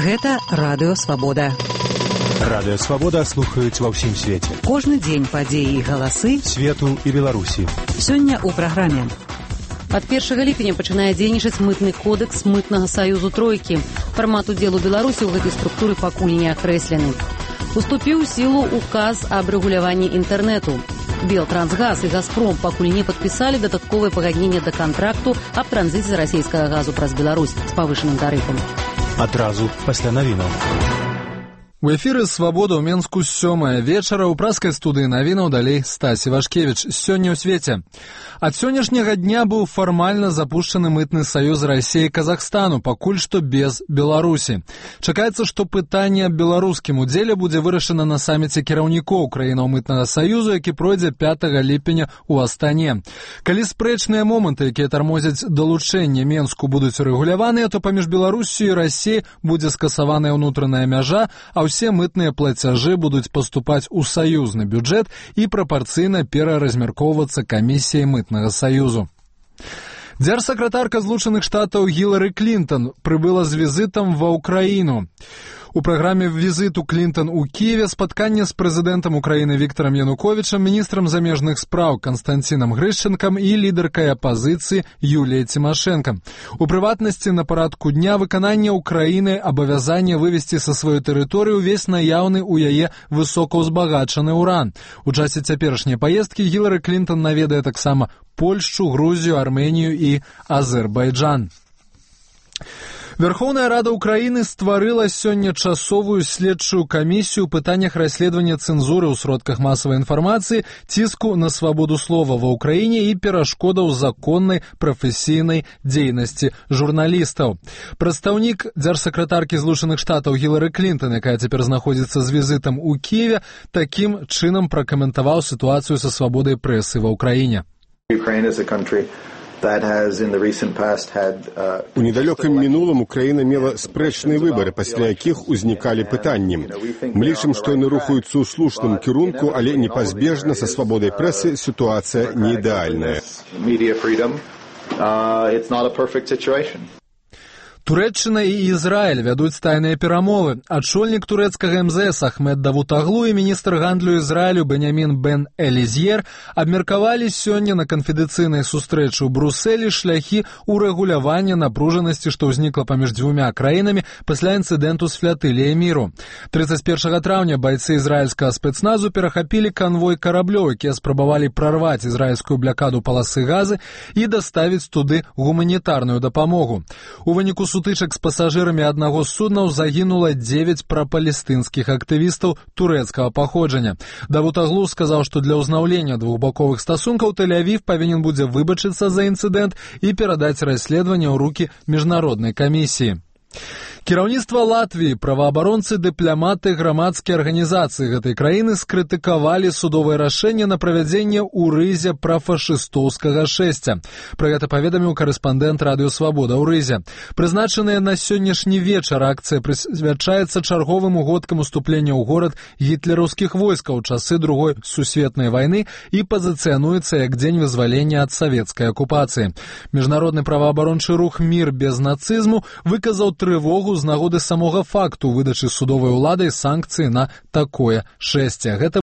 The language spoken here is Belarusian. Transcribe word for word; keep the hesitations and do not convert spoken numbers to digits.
Гэта Радыё Свабода. Радыё Свабода слухаюць ва ўсім свеце. Кожны дзень падзеі і галасы свету і Беларусі. Сёння ў праграме. Ад першага ліпеня пачынае дзейнічаць мытны кодэкс мытнага саюзу тройкі. Фармат удзелу Беларусі ў гэтай структуры пакуль не акрэслены. Уступіў у сілу указ аб рэгуляванні інтэрнэту. Белтрансгаз і Газпром пакуль не падпісалі дадатковае пагадненне да кантракту аб транзіце расійскага газу праз Беларусь з павышаным тарыфам. Адразу пасля навінаў. У эфіры «Свабода» ў Менску сёмая вечара. У праскай студыі навінаў далей Стась Івашкевіч. Сёння ў свеце. Ад сённяшняга дня быў фармальна запушчаны мытны саюз Расіі і Казахстану, пакуль што без Беларусі. Чакаецца, што пытанне аб беларускім удзеле будзе вырашана на саміце кіраўнікоў краінаў мытнага саюзу, які пройдзе пятага ліпеня ў Астане. Калі спрэчныя моманты, якія тармозяць далучэнне Менску, будуць урэгуляваныя, то паміж Беларусію і Расіяй будзе скасаваная ўнутраная мяжа, а ўсе мытныя плацяжы будуць паступаць у саюзны бюджэт і прапарцыйна пераразмяркоўвацца камісіяй мытнага саюзу. Дзяржсакратарка Злучаных Штатаў Гілары Клінтон прыбыла з візітам ва ўкраіну. У праграме візіту Клінтон у Кіеве спатканне з прэзідэнтам Украіны Віктарам Януковічам, міністрам замежных спраў Канстанцінам Грышчэнкам і лідаркай апазіцыі Юліяй Цімашэнка. У прыватнасці на парадку дня выканання Украіны абавязання вывесці са сваёй тэрыторыі ўвесь наяўны ў яе высокаўзбагачаны ўран. У часе цяперашняй паездкі Гілары Клінтон наведае таксама Польшчу, Грузію, Арменію і Азербайджан. Верховная Рада Украіны стварыла сёння часовую следчую камісію ў пытаннях расследавання цэнзуры ў сродках масавай інфармацыі, ціску на свабоду слова ва ўкраіне і перашкодаў законнай прафесійнай дзейнасці журналістаў. Прадстаўнік дзяржсакратаркі Злучаных Штатаў Гілары Клінтон, якая цяпер знаходзіцца з візітам у Кіеве, такім чынам пракаментаваў сітуацыю са свабодай прэсы ва ўкраіне. У недалёкім мінулым Украіна мела спрэчныя выбары, пасля якіх узнікалі пытанні. Мы лічым, што яны рухаюцца ў слушным кірунку, але непазбежна са свабодай прэсы сітуацыя не ідэальная. Турэччына і Ізраіль вядуць тайныя перамовы. Ачольнік турэцкага эм зэ эс Ахмед Давутаглу і міністр гандлю Ізраілю Бенямін Бен Элізьер абмеркавалі сёння на канфідэнцыйнай сустрэчы ў Брусэлі шляхі ўрэгулявання напружанасці, што ўзнікла паміж дзвюма краінамі пасля інцыдэнту з флатыліяй міру. трыццаць першага траўня байцы ізраільскага спецназу перахапілі канвой караблёў, якія спрабавалі прарваць ізраільскую блякаду паласы газы і даставіць туды гуманітарную дапамогу. У выніку сутычак з пасажырамі аднаго з суднаў загінула дзевяць прапалестынскіх актывістаў турэцкага паходжання. Давутаглу сказаў, што для ўзнаўлення двухбаковых стасункаў Тель-Авів павінен будзе выбачыцца за інцыдэнт і перадаць расследаванне ў рукі міжнароднай камісіі. Кіраўніцтва Латвіі, праваабаронцы, дыпламаты, грамадскія арганізацыі гэтай краіны скрытыкавалі судовае рашэнне на правядзенне ў Рызе прафашыстоўскага шэсця. Пра гэта паведаміў карэспандэнт Радыё Свабода ў Рызе. Прызначаная на сённяшні вечар акцыя прысвячаецца чарговым угодкам уступлення ў горад гітлераўскіх войскаў у часы Другой сусветнай вайны і пазіцыянуецца як дзень вызвалення ад савецкай акупацыі. Міжнародны праваабарончы рух «Мір без нацызму» выказаў трывогу з нагоды самога факту выдачы судовай уладай санкцыі на такое шэсце. Гэта